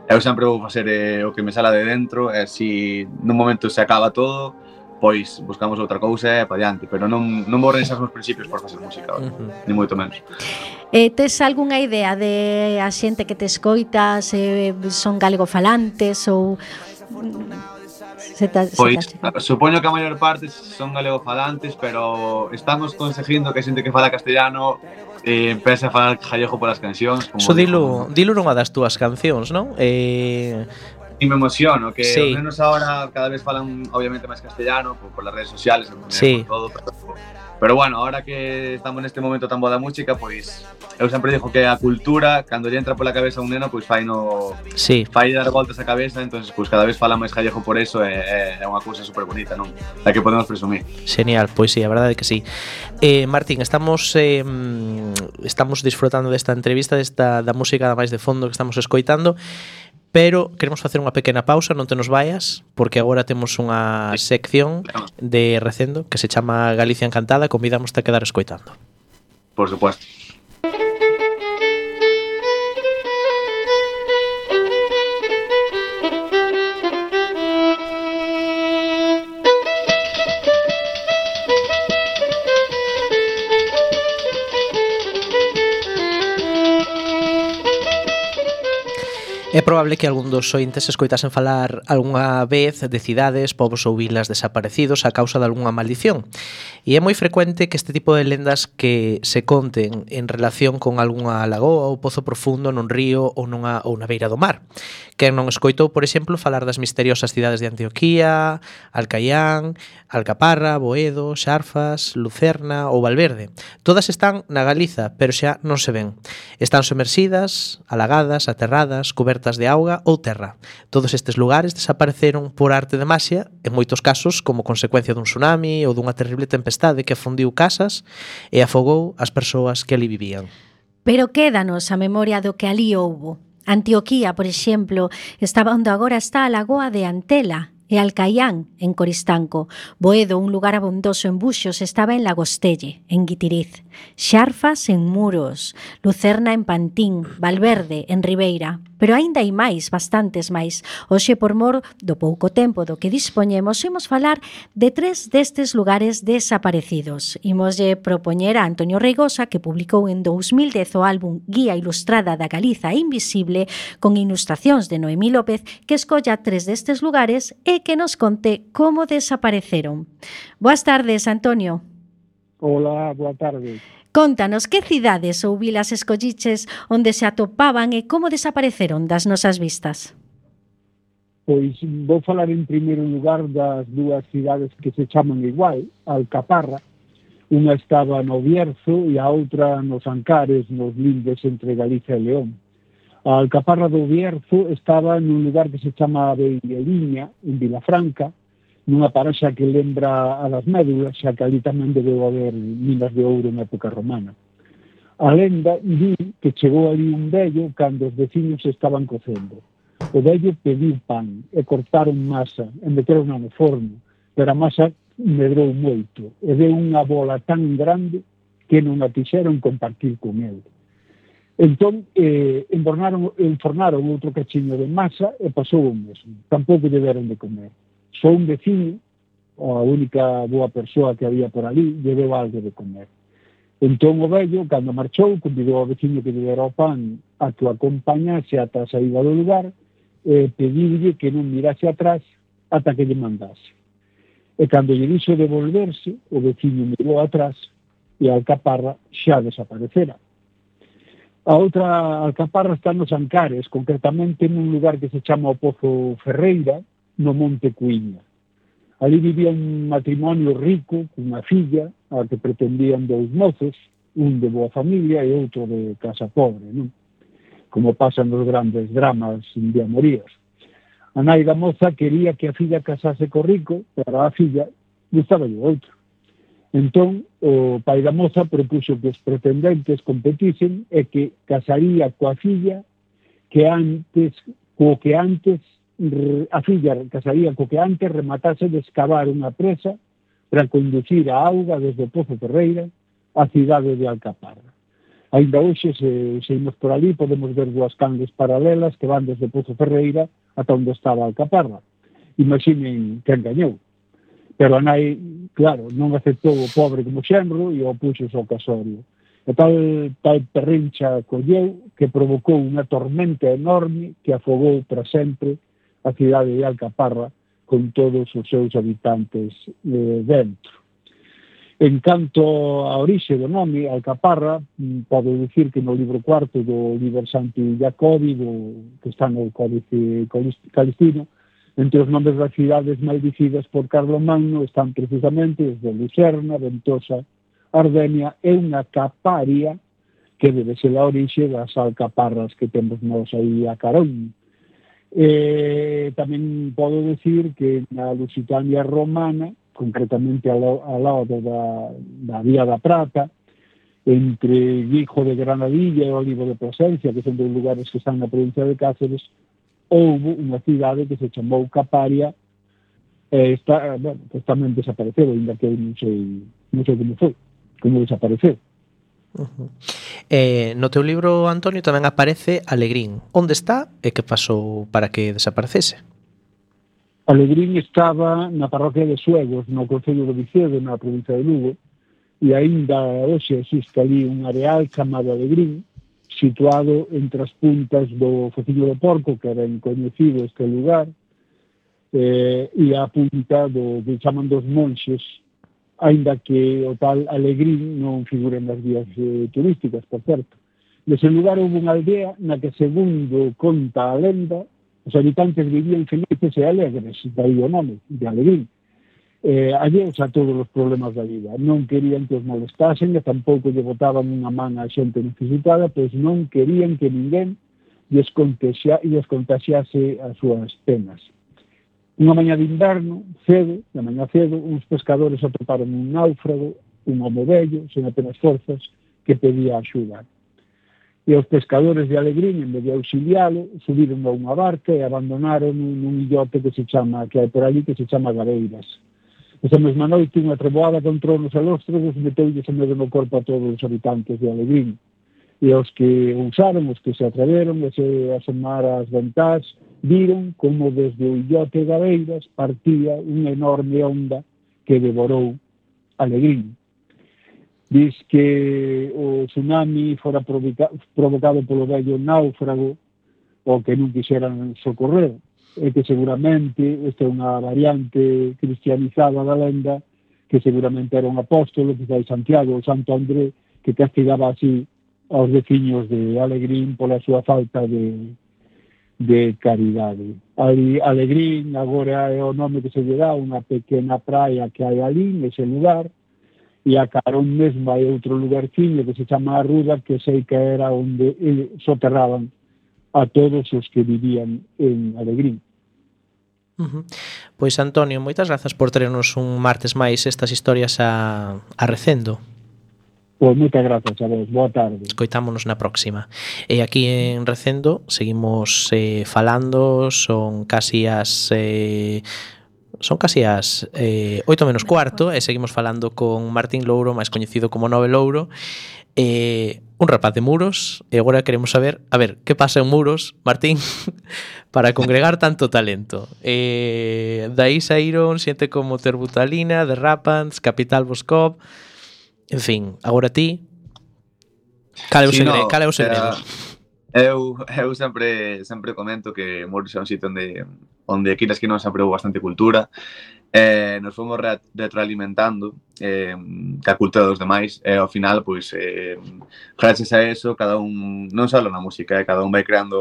eu sempre vou facer o que me sala de dentro, e se nun momento se acaba todo, pois buscamos outra cousa e pa diante, pero non vou renunciar os meus principios por facer música, ni moito menos. Tes algunha idea de a xente que te escoita, se son galegofalantes ou... Pois, supoño que a maior parte son galegofalantes, pero estamos conseguindo que a xente que fala castellano empece a falar gallego polas cancións. Eso dilo nunha das túas cancións, non? E me emociono, que sí. Ao menos ahora cada vez falan obviamente máis castellano por las redes sociales, sí. Por todo, pero bueno, ahora que estamos neste momento tan bo da música, pois eu sempre digo que a cultura, cando lle entra pola cabeza a un neno, pois fai dar voltas a cabeza, entonces pois cada vez fala máis gallego por eso, é unha cousa super bonita, non? Da que podemos presumir. Genial, pois sí, a verdade é que sí. Martín, estamos disfrutando desta entrevista, da música da máis de fondo que estamos escoitando, pero queremos facer unha pequena pausa, non te nos vayas, porque agora temos unha sección de Recendo que se chama Galicia Encantada, convidamos a quedar escoitando. Por supuesto. É probable que algún dos ointes escoitasen falar algunha vez de cidades, povos ou vilas desaparecidos a causa de algunha maldición. E é moi frecuente que este tipo de lendas que se conten en relación con algunha lagoa ou pozo profundo nun río ou na beira do mar. Quen non escoitou, por exemplo, falar das misteriosas cidades de Antioquía, Alcaián, Alcaparra, Boedo, Xarfas, Lucerna ou Valverde. Todas están na Galiza, pero xa non se ven. Están somersidas, alagadas, aterradas, cobertas de auga ou terra. Todos estes lugares desapareceron por arte de maxia, en moitos casos como consecuencia dun tsunami ou dunha terrible tempestade que afundiu casas e afogou as persoas que ali vivían. Pero quédanos a memoria do que ali houbo. Antioquía, por exemplo, estaba onde agora está a lagoa de Antela, e Alcaián, en Coristanco. Boedo, un lugar abondoso en Buxos, estaba en Lagostelle, en Guitiriz. Xarfas, en Muros. Lucerna, en Pantín. Valverde, en Ribeira. Pero aínda hai máis, bastantes máis. Hoxe, por mor do pouco tempo do que dispoñemos, imos falar de 3 destes lugares desaparecidos. Imoslle propoñer a Antonio Reigosa, que publicou en 2010 o álbum Guía Ilustrada da Galiza Invisible, con ilustracións de Noemí López, que escolla 3 destes lugares e que nos conte como desapareceron. Boas tardes, Antonio. Hola, boa tarde. Contanos, que cidades ou vilas escolliches onde se atopaban e como desapareceron das nosas vistas? Pois vou falar en primeiro lugar das 2 cidades que se chaman igual, Alcaparra. Unha estaba no Bierzo e a outra nos Ancares, nos lindes entre Galicia e León. A Alcaparra do Bierzo estaba nun lugar que se chama Beireliña, en Vilafranca, nunha paraxa que lembra a das Médulas, xa que ali tamén debeu haber minas de ouro na época romana. A lenda di que chegou ali un vello cando os veciños estaban cocendo. O vello pediu pan e cortaron masa e meteron no forno, pero a masa medrou moito e deu unha bola tan grande que non a quixeron compartir con ele. Entón, enfornaron outro cachiño de masa e pasou o mesmo. Tampouco lle deron de comer. Só un veciño, a única boa persoa que había por ali, lle deu algo de comer. Entón o vello, cando marchou, convidou ao veciño que lle dera o pan a que o acompañase ata a saída do lugar e pediulle que non mirase atrás ata que lle mandase. E cando lle dixo de volverse, o veciño mirou atrás e a Alcaparra xa desaparecera. A outra Alcaparra está nos Ancares, concretamente nun lugar que se chama o Pozo Ferreira, no Monte Cuíña. Ali vivía un matrimonio rico, cunha filla, a que pretendían 2 mozos, un de boa familia e outro de casa pobre, non? Como pasan nos grandes dramas de amoríos. A nai da moza quería que a filla casase co rico, pero a filla gustaba de outro. Entón, o pai da moza propuxo que os pretendentes competisen e que casaría coa filla co que antes a filla casaría co que antes rematase de escavar unha presa para conducir a auga desde Pozo Ferreira á cidade de Alcaparra. Ainda hoxe, se imos por ali, podemos ver dúas canles paralelas que van desde Pozo Ferreira ata onde estaba Alcaparra. Imaginen quen gañou. Pero a nai, claro, non aceptou o pobre como xenro e o puxo ao casorio. E tal perrincha colleu que provocou unha tormenta enorme que afogou para sempre a cidade de Alcaparra con todos os seus habitantes dentro. En canto a orixe do nome, Alcaparra, podo dicir que no libro cuarto do Liber Santi Jacobi, que está no Códice Calistino, entre os nomes das cidades maldicidas por Carlomagno están precisamente os de Lucerna, Ventosa, Ardenia e unha Caparia que debe ser a orixe das alcaparras que temos nós aí a carón. Tamén podo decir que na Lusitania romana, concretamente ao lado da Vía da Prata, entre Guijo de Granadilla e Olivo de Plasencia, que son dos lugares que están na provincia de Cáceres, houve unha cidade que se chamou Caparia e pues tamén desapareceu, ainda que non sei como foi, como desapareceu. No teu libro, Antonio, tamén aparece Alegrín. Onde está e que pasou para que desaparecese? Alegrín estaba na parroquia de Suegos, no concello de Vicedo, na provincia de Lugo, e aínda hoxe existe ali un areal chamado Alegrín, situado entre as puntas do Fociño do Porco, que era coñecido este lugar, e a punta do que chaman dos Monxes, aínda que o tal Alegrín non figura nas guías turísticas, por certo. Nese lugar houve unha aldea na que, segundo conta a lenda, os habitantes vivían felices e alegres, daí o nome, de Alegrín. Alleos a todos os problemas da vida. Non querían que os molestasen e tampouco lle botaban unha man a xente necesitada, pois non querían que ninguén lles contaxiase as súas penas. Unha mañá de inverno, de mañá cedo, uns pescadores atoparon un náufrago, un homo vello, sen apenas forzas, que pedía axuda. E os pescadores de Alegrín, en vez de auxilialo, subiron a unha barca e abandonaron nun illote que hai por ali, que se chama Gabeiras. Esa mesma noite, unha treboada contra os alóstrogos meteulles en medio no corpo a todos os habitantes de Alegrín. E os que usaron, os que se atreveron a se asomar ás ventás, viron como desde o illote Gabeiras partía unha enorme onda que devorou Alegrín. Diz que o tsunami fora provocado polo vello náufrago o que non quixeran socorrer, e que seguramente esta é unha variante cristianizada da lenda, que seguramente era un apóstolo, quizá Santiago ou Santo André, que castigaba así aos veciños de Alegrín pola súa falta de caridade. Alegrín agora é o nome que se lle dá unha pequena praia que hai ali nese lugar, e a carón mesmo hai outro lugarciño que se chama Arruda, que sei que era onde soterraban a todos os que vivían en Alegrín. Pois, Antonio, moitas grazas por traernos un martes máis estas historias a Recendo. Pois moitas grazas a vos, boa tarde. Escoitámonos na próxima. E aquí en Recendo seguimos falando, son casi as 8 menos cuarto, e seguimos falando con Martín Louro, máis coñecido como Nove Louro, un rapaz de Muros, e agora queremos saber, a ver, que pasa en Muros, Martín, para congregar tanto talento. Daí saíron xente como Terbutalina, The Rapans, Capital Boscov, en fin, agora ti, cal é o segredo? Eu sempre comento que Muros é un sitio onde quiras que non se aprobou bastante cultura, nos fomos retroalimentando ca cultura dos demais, e ao final, pois, gracias a eso, cada un, non só na música, cada un vai creando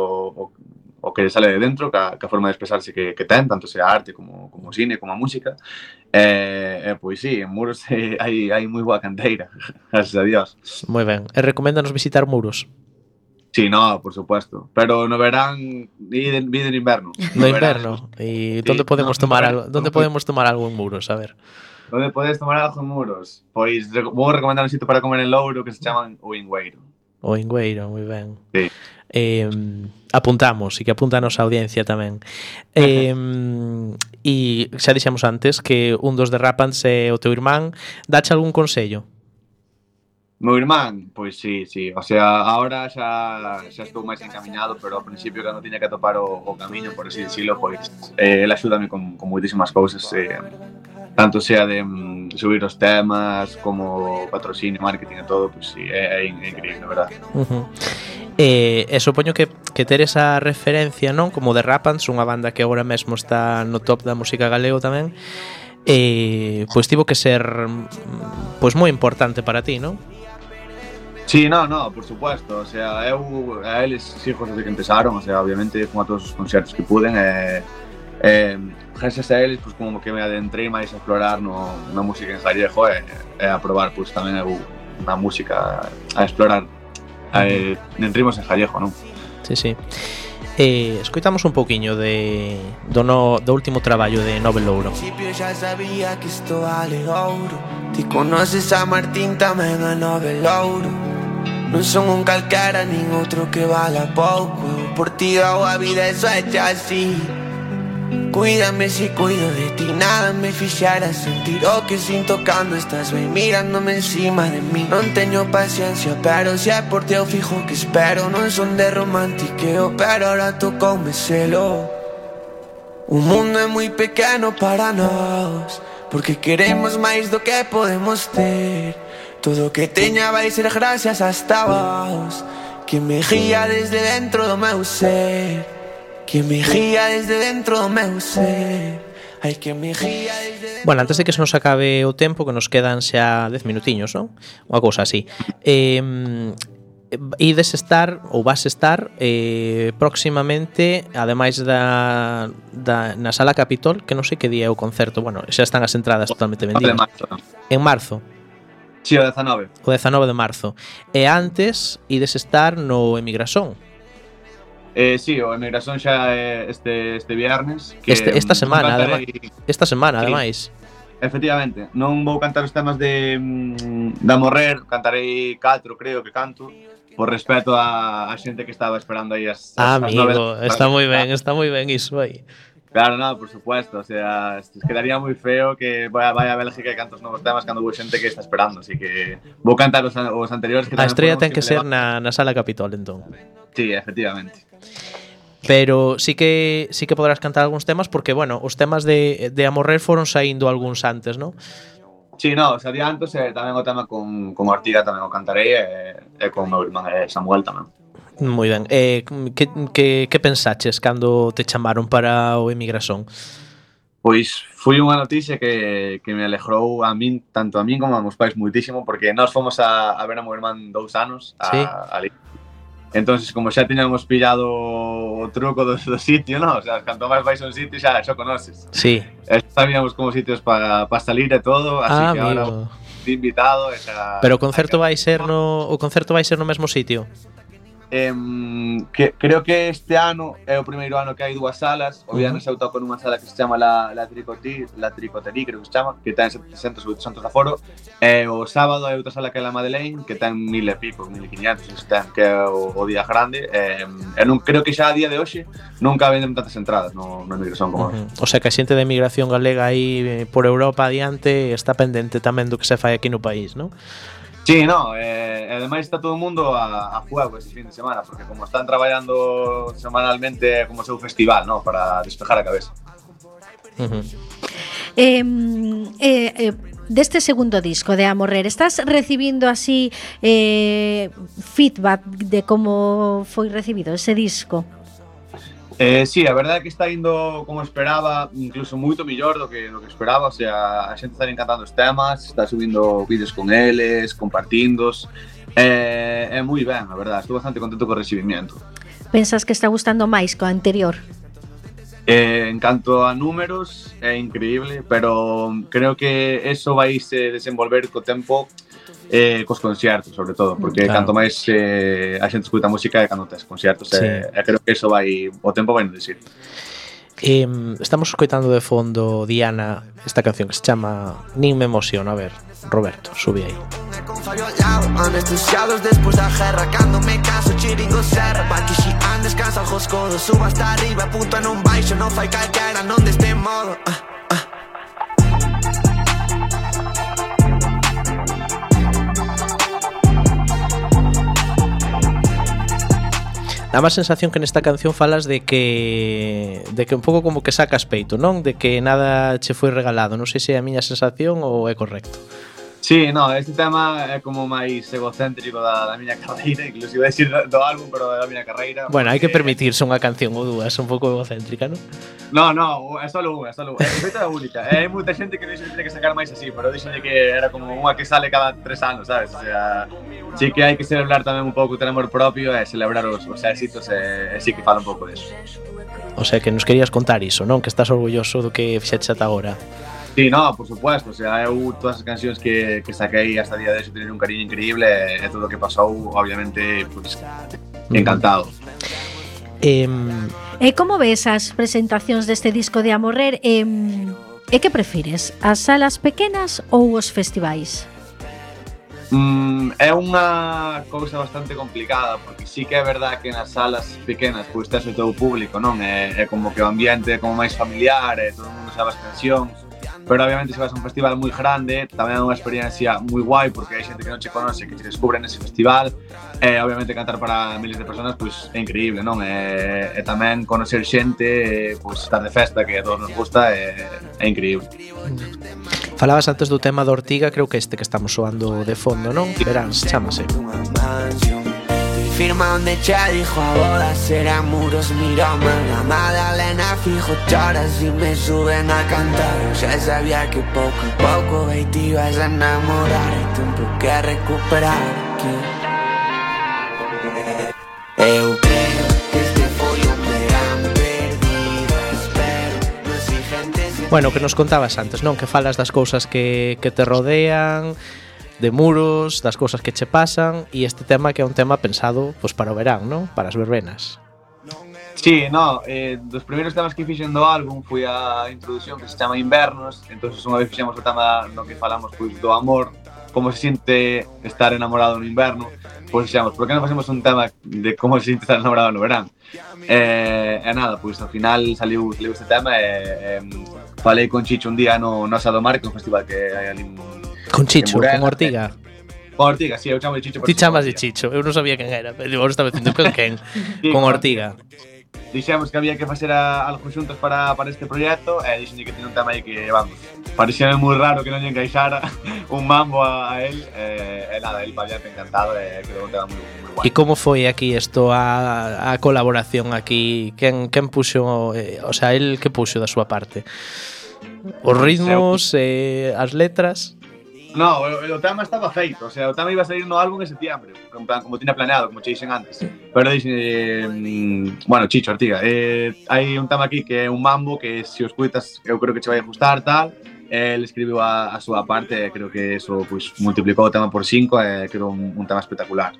o que sale de dentro, ca forma de expresarse que ten, tanto sea arte como cine, como a música, pois sí, en Muros hai moi boa canteira, gracias a Dios. Moi ben, e recoméndanos visitar Muros? Sí, no, por supuesto. Pero no verán, vide en inverno. No inverno. ¿Y dónde podemos tomar algo? ¿Dónde podemos tomar algo en Muros? A ver. ¿Dónde podes tomar algo en Muros? Pois vou recomendar un sitio para comer en Louro que se chaman O Ingüeiro. O Ingüeiro, moi ben. Sí. apuntamos, e que apunta a nosa audiencia tamén. E xa dixemos antes que un dos derrapants é o teu irmán. Dache algún consello? Meu irmán, pois sí. O sea, ahora xa estou máis encaminado, pero ao principio cando tiña que topar o camiño, por así dicilo, pois el axúdame con moitísimas cousas, tanto sea de subir os temas como patrocinio, marketing e todo, pois sí, é increíble, verdad. E supoño que ter esa referencia, non, como The Rapants, unha banda que agora mesmo está no top da música galego tamén, pois tivo que ser pois moi importante para ti, non? Sí, no, por supuesto, o sea, eu a eles sigo desde que empezaron, o sea, obviamente fun a todos os concertos que puden, gracias a eles, pois como que me adentrei máis a explorar na música en gallego e a probar, pois tamén na música, a explorar en ritmos en gallego, non? Sí. Escoitamos un pouquiño do último traballo de Nove Louro. Al principio ya sabía que esto vale ouro. Ti conoces a Martín, tamén a Nove Louro. Non son un calquera nin outro que vala pouco. Por ti hago a vida, eso é xa así. Cuídame si cuido de ti, nada me fixera sentir o que sinto cando estás ben mirándome encima de mí. Non teño paciencia, pero se é por ti eu fijo que espero. Non son de romantiqueo, pero ahora tocoume selo. O mundo é moi pequeno para nós, porque queremos máis do que podemos ter. Todo o que teña vai ser gracias hasta vos, que me guía desde dentro do meu ser. Que me guía desde dentro do meu ser. Ai, que me guía desde dentro. Bueno, antes de que se nos acabe o tempo, que nos quedan xa 10 minutiños, non? Unha cousa así. Ides estar, ou vas estar próximamente, ademais na Sala Capitol, que non sei que día é o concerto. Bueno, xa están as entradas totalmente vendidas. En marzo. Sí, o 19. O 19 de marzo. E antes, ides estar no Emigrasón. Sí, o Emigrasón xa é este viernes que esta semana, ademais. Efectivamente, non vou cantar os temas de Morrer, cantarei 4, creo que canto, por respeto a xente que estaba esperando aí as amigo, está moi ben iso aí. Claro, no, por supuesto, o sea, quedaría moi feo que vaya a Bélgica e cantos novos temas cando houve xente que está esperando, así que vou cantar os anteriores que a estrella ten que ser na Sala Capitol, entón. Sí, efectivamente. Pero sí que podrás cantar algúns temas porque, bueno, os temas de Amorrer foron saindo algúns antes, non? Sí, no, os adiantos tamén o tema con Ortiga tamén o cantarei e con o meu irmán Samuel tamén. Moi ben. Que pensaches cando te chamaron para o Emigrasón? Pois foi unha noticia que me alegrou a min, tanto a min como a meus pais moitísimo, porque nós fomos a ver a meu irmán 2 anos ali. Entonces, como xa tiñamos pillado o truco do sitio, ¿no? O sea, canto máis vais a un sitio xa conoces. Sí. Sabíamos como sitios para salir e todo, así que amigo. Ahora de invitado Pero o concerto vai ser no mesmo sitio? Creo que este ano é o primeiro ano que hai 2 salas. O viernes eu toco nunha sala que se chama La Tricoterie, creo que se chama, que ten 700 ou 800 de aforo. E o sábado hai outra sala que é La Madeleine, que ten 1000 e pico, 1500, que é o día grande. E non creo que xa a día de hoxe nunca venden tantas entradas no Emigrasón como hoxe. O sea que a xente de emigración galega aí por Europa adiante está pendente tamén do que se fai aquí no país, non? Sí, no, ademais está todo o mundo a fuego ese fin de semana, porque como están traballando semanalmente como seu festival, ¿no? Para despejar a cabeza. Deste segundo disco de Amorrer, estás recibindo así feedback de como foi recibido ese disco? Sí, a verdade é que está indo como esperaba, incluso moito mellor do que esperaba, o sea, a xente está encantando os temas, está subindo vídeos con eles, compartindos, é moi ben, a verdade, estou bastante contento co recibimiento. Pensas que está gustando máis co anterior? En canto a números, é increíble, pero creo que eso vai se desenvolver co tempo, cos concertos, sobre todo, porque claro, canto máis a xente escuta música e cando tes concertos, sí. Creo que eso o tempo vai nos decir. Estamos escoitando de fondo, Diana, esta canción que se chama Nin me emociona. A ver, Roberto, sube aí. Anestesiados despois da guerra, cando me canso chiringo serra, para que si todo. Subo hasta arriba, punto en un baixo, non fai calquera, non deste modo. Dá má sensación que nesta canción falas de que un pouco como que sacas peito, non? De que nada che foi regalado. Non sei se é a miña sensación ou é correcto. Sí, no, este tema é como máis egocéntrico da miña carreira, inclusive decir do álbum, pero da miña carreira. Bueno, hai que permitirse unha canción ou dúas un pouco egocéntrica, non? No, é só unha, é feita da única. Hai moita xente que dixo que tiene que sacar máis así, pero dixo que era como unha que sale cada 3 anos, sabes? O sea, sí que hai que celebrar tamén un pouco ter amor propio e celebrar os éxitos e sí que fala un pouco deso. O sea, que nos querías contar iso, non? Que estás orgulloso do que fixeches ata agora. Sí, no, por supuesto, o sea, eu todas as cancións que saquei hasta día de hoxe teñen un cariño increíble e todo o que pasou, obviamente, pues, encantado. E como ves as presentacións deste disco de Amorrer? E que prefires, as salas pequenas ou os festivais? É unha cousa bastante complicada, porque sí que é verdad que nas salas pequenas pois tes o teu público, non? É como que o ambiente é como máis familiar e todo o mundo sabe as cancións. Pero obviamente se vas a un festival moi grande tamén é unha experiencia moi guai porque hai xente que non che conoce, que te descubre nese festival e obviamente cantar para miles de personas pois é increíble, non? E tamén conocer xente, pois estar de festa que a todos nos gusta é increíble. Falabas antes do tema da Ortiga, creo que este que estamos soando de fondo, non? Veráns, chámase. Firma onde che dijo a bodas serán muros, mírame la Madalena fijo choras y me suben a cantar. Ya sabía que poco a poco te ibas a enamorar y tempo que recuperar que eu creo que este foi un verán perdido, espero no exigentes. Bueno, que nos contabas antes, non? Que falas das cousas que te rodean, de muros, das cousas que che pasan e este tema que é un tema pensado pois para o verán, non? Para as verbenas. Sí, no, dos primeiros temas que fixen do álbum foi a introducción que se chama Invernos, entonces unha vez fixemos o tema no que falamos pois do amor, como se siente estar enamorado no inverno, pois fixemos, por que non facemos un tema de como se siente estar enamorado no verán? E nada, pois ao final saliu este tema e falei con Chicho un día no Asado Mar, que é un festival que hai ali con Chicho, con Ortiga. Con Ortiga, sí, eu chamo de Chicho. Ti chamas de Chicho, eu non sabía quen era, pero agora estaba dicindo con quen. Sí, con Ortiga. Dixemos que había que facer algo xuntos para este proxecto e dixen que tiene un tema aí que, vamos, parecía moi raro que non lle encaixara un mambo a él e nada, él había encantado e quedou un tema moi guai. E como foi aquí isto, a colaboración aquí? Quen puxo, o sea, él que puxo da súa parte? Os ritmos, as letras? No, o tema estaba feito, o sea, o tema iba a salir no álbum en septiembre, en plan, como tiña planeado, como che dixen antes. Pero dixen, bueno, Chicho, Ortiga, hai un tema aquí que é un mambo que se o escutas eu creo que che vai a gustar, tal. Ele escribiu a súa parte e creo que eso pues, multiplicou o tema por 5 e creo un tema espectacular.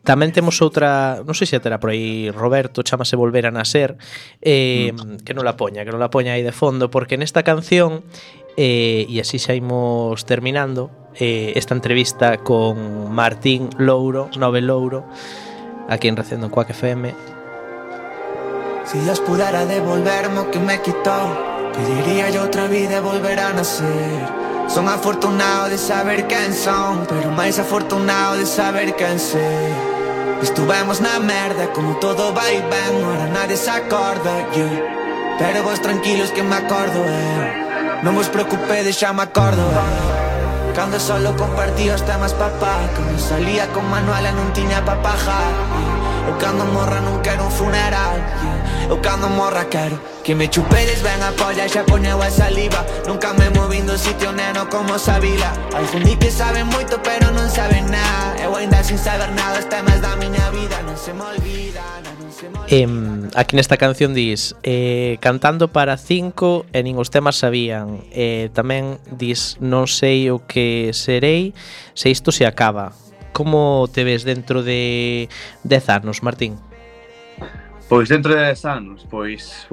Tamén temos outra, non sei se terá por aí Roberto, chámase Volver a Nacer, que non la poña aí de fondo, porque nesta canción, e así xa imos terminando esta entrevista con Martín Louro, Nove Louro, aquí en Recendo en Quack FM. Si Dios pudiera devolverme o que me quitó, pediría yo otra vida e volver a nacer. Son afortunado de saber quen son, pero máis afortunado de saber quen sei. Estuvemos na merda, como todo vai ben, ahora nadie se acorda, yeah. Pero vos tranquilos que me acordo, non vos preocupedes, xa me acordo, Cando solo compartía os temas papá, cando salía con Manuela non tiña pa pajar, Eu cando morra non quero un funeral, Eu cando morra quero que me chupedes ben a polla e xa poñeu a saliva. Nunca me movín do sitio, neno, como Sabila. Algún di que saben moito pero non saben nada. Eu ainda sin saber nada, os temas da miña vida non se me olvidan. Aquí nesta canción dis cantando para 5 e nin os temas sabían. Tamén dis non sei o que serei se isto se acaba. Como te ves dentro de 10 anos, Martín? Pois dentro de 10 anos, pois,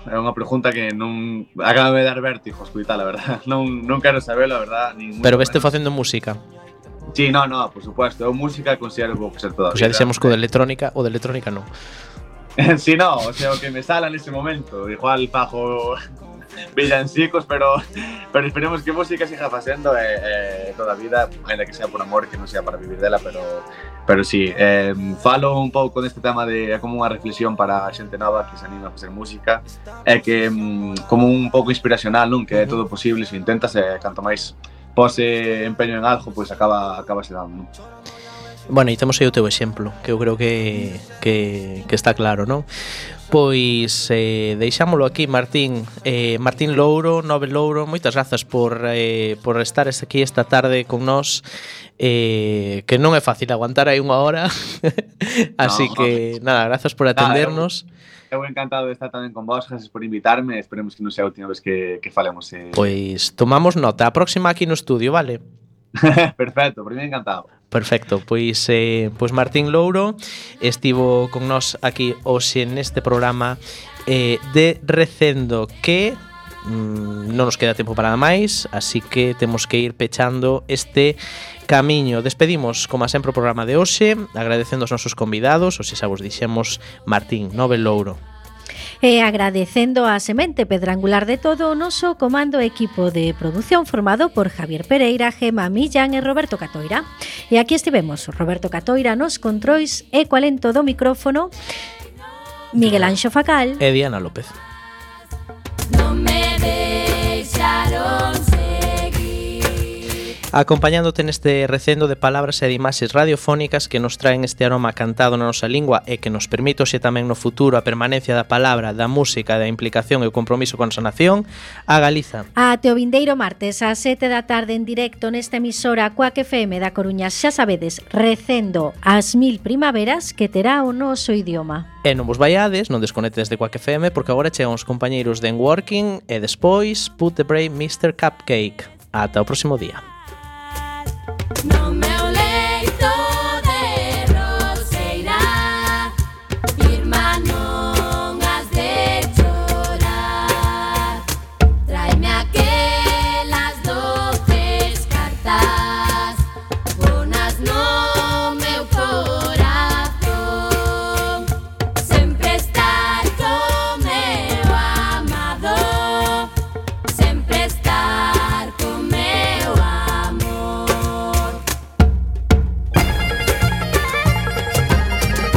é unha pregunta que non acaba de dar vértigo escutar, a verdad. Non quero saber, a verdad. Pero veste facendo música? Sí, no, por supuesto. Eu música considero que vou facer toda a Pois xa vida. dixemos que o de electrónica non. Sí, no, o sea, o que me sala nese momento. Igual fago villancicos, pero esperemos que música siga facendo toda a vida, ainda que sea por amor, que non sea para vivir dela, pero sí, falo un pouco neste tema de como unha reflexión para a xente nova que se anima a facer música, é que como un pouco inspiracional, non? Que é todo posible, se intentas, canto máis pose empeño en algo, pois acaba se dando, non? Bueno, e temos aí o teu exemplo, que eu creo que está claro, non? Pois deixámolo aquí, Martín. Martín Louro, Nove Louro, moitas grazas por estar aquí esta tarde con nós, que non é fácil aguantar aí unha hora. Así que, nada, grazas por atendernos. Eu encantado de estar tamén con vos, gracias por invitarme, esperemos que non sea a última vez que falemos. Pois tomamos nota, a próxima aquí no estudio, vale? Perfecto, por mí encantado. Perfecto, pois Martín Louro estivo con nós aquí hoxe neste programa de Recendo, que non nos queda tempo para nada máis, así que temos que ir pechando este camiño. Despedimos, como sempre, o programa de hoxe, agradecendo aos nosos convidados, hoxe xa vos dixemos Martín, Nove Louro. E agradecendo a semente pedrangular de todo o noso comando equipo de produción formado por Javier Pereira, Gema Millán e Roberto Catoira. E aquí estivemos, Roberto Catoira nos controis e co alento do micrófono, Miguel Anxo Facal e Diana López. No me deixaron acompañándote neste recendo de palabras e de imaxes radiofónicas que nos traen este aroma cantado na nosa lingua e que nos permite hoxe tamén no futuro a permanencia da palabra, da música, da implicación e o compromiso con a nación, a Galiza. Ate o vindeiro martes ás 7 da tarde en directo nesta emisora Cuac FM da Coruña, xa sabedes, recendo as 1000 primaveras que terá o noso idioma. E non vos vaiades, non desconectes de Cuac FM, porque agora chegan os compañeiros de Working e despois Put the Brave Mr. Cupcake. Ata o próximo día. No me